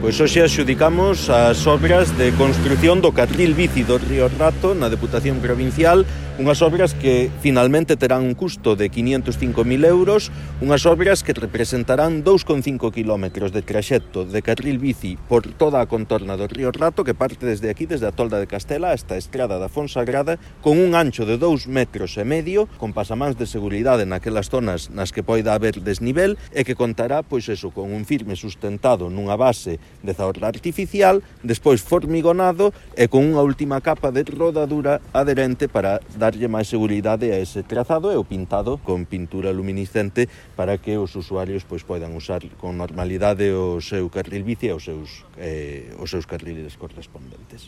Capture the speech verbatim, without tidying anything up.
Pois hoxe adxudicamos as obras de construción do carril bici do Río Rato na Deputación Provincial, unhas obras que finalmente terán un custo de quinientos cinco mil euros, unhas obras que representarán dous coma cinco kilómetros de traxecto de carril bici por toda a contorna do Río Rato, que parte desde aquí, desde a Tolda de Castela hasta a Estrada da Fonsagrada, con un ancho de dous metros e medio, con pasamáns de seguridade naquelas zonas nas que poida haber desnivel, e que contará, pois eso, con un firme sustentado nunha base de zaorra artificial, despois formigonado e con unha última capa de rodadura adherente para darlle máis seguridade a ese trazado, e o pintado con pintura luminiscente para que os usuarios pois poidan usar con normalidade o seu carril bici e os seus, eh, os seus carriles correspondentes.